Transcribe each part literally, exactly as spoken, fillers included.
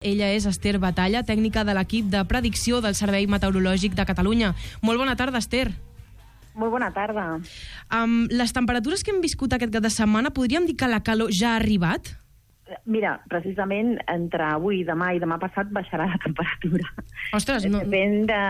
Ella és Esther Batalla, tècnica de l'equip de predicció del Servei Meteorològic de Catalunya. Molt bona tarda, Esther. Molt bona tarda. Um, les temperatures que hem viscut aquest cap de setmana, podríem dir que la calor ja ha arribat? Mira, precisament entre avui, demà i demà passat baixarà la temperatura. Ostres, no... Depèn de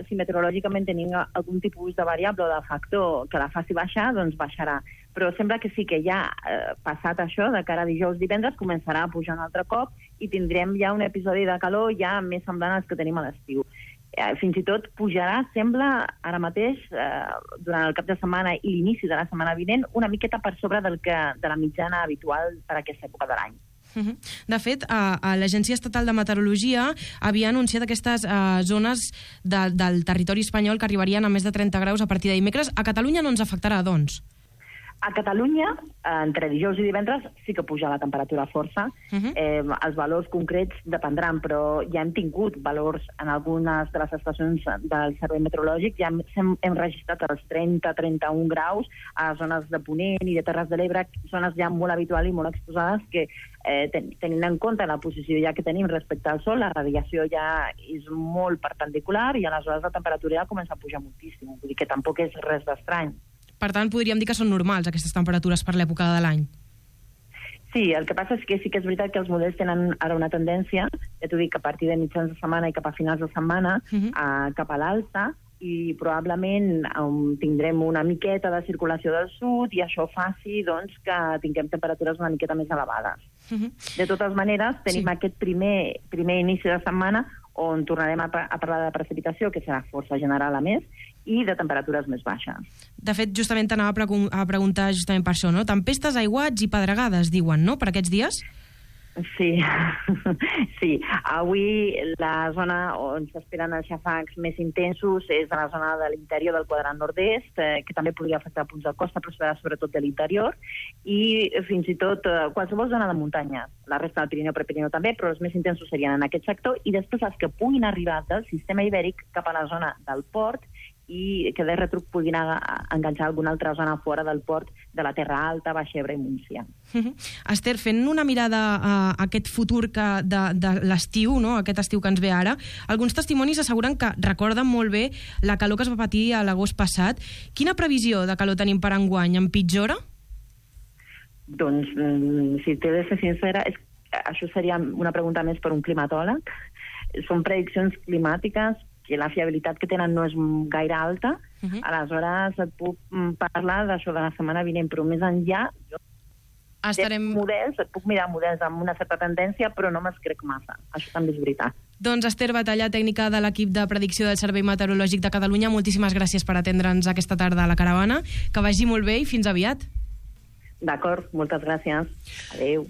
si meteorològicament tenim algun tipus de variable o de factor que la faci baixar, doncs baixarà. Però sembla que sí que ja eh, passat això, de cara a dijous, divendres, començarà a pujar un altre cop i tindrem ja un episodi de calor ja més semblant als que tenim a l'estiu. Eh, fins i tot pujarà, sembla, ara mateix, eh, durant el cap de setmana i l'inici de la setmana vinent, una miqueta per sobre del que, de la mitjana habitual per a aquesta època de l'any. De fet, a, a l'Agència Estatal de Meteorologia havia anunciat aquestes uh, zones de, del territori espanyol que arribarien a més de trenta graus a partir de dimecres. A Catalunya no ens afectarà, doncs? A Catalunya, entre dijous i divendres, sí que puja la temperatura força. Uh -huh. eh, els valors concrets dependran, però ja hem tingut valors en algunes de les estacions del Servei Meteorològic. Ja hem, hem registrat els trenta a trenta-un graus a zones de Ponent i de Terres de l'Ebre, zones ja molt habituals i molt exposades que, eh, ten, tenint en compte la posició ja que tenim respecte al sol, la radiació ja és molt perpendicular i aleshores la temperatura ja comença a pujar moltíssim. Vull dir que tampoc és res d'estrany. Per tant, podríem dir que són normals aquestes temperatures per l'època de l'any. Sí, el que passa és que sí que és veritat que els models tenen ara una tendència, ja t'ho dic, a partir de mitjans de setmana i cap a finals de setmana, uh -huh. a, cap a l'alta, i probablement um, tindrem una miqueta de circulació del sud i això faci doncs, que tinguem temperatures una miqueta més elevades. Uh -huh. De totes maneres, tenim sí. aquest primer, primer inici de setmana on tornarem a, a parlar de precipitació, que serà força general a més, i de temperatures més baixes. De fet, justament t'anava a, pre a preguntar justament per això, no? Tempestes, aiguats i pedregades, diuen, no?, per aquests dies? Sí, sí. Avui la zona on s'esperen els xafrancs més intensos és a la zona de l'interior del quadrant nord-est, eh, que també podria afectar punts de costa, però serà sobretot de l'interior, i fins i tot eh, qualsevol zona de muntanya. La resta del Pirineu, Prepirineu també, però els més intensos serien en aquest sector, i després els que puguin arribar del sistema ibèric cap a la zona del port i que de retruc puguin enganxar alguna altra zona fora del port de la Terra Alta, Baix Ebre i Montsià. Uh -huh. Esther, fent una mirada a aquest futur que de, de l'estiu, no? Aquest estiu que ens ve ara, alguns testimonis asseguren que recorden molt bé la calor que es va patir a l'agost passat. Quina previsió de calor tenim per enguany? Empitjora? Doncs, si t'he de ser sincera, és, això seria una pregunta més per un climatòleg. Són prediccions climàtiques que la fiabilitat que tenen no és gaire alta, uh -huh. aleshores et puc parlar d'això de la setmana vinent, però més enllà, jo Estarem... models, et puc mirar models amb una certa tendència, però no me'ls crec massa. Això també és veritat. Doncs Esther Batalla, tècnica de l'equip de predicció del Servei Meteorològic de Catalunya, moltíssimes gràcies per atendre'ns aquesta tarda a la caravana. Que vagi molt bé i fins aviat. D'acord, moltes gràcies. Adéu.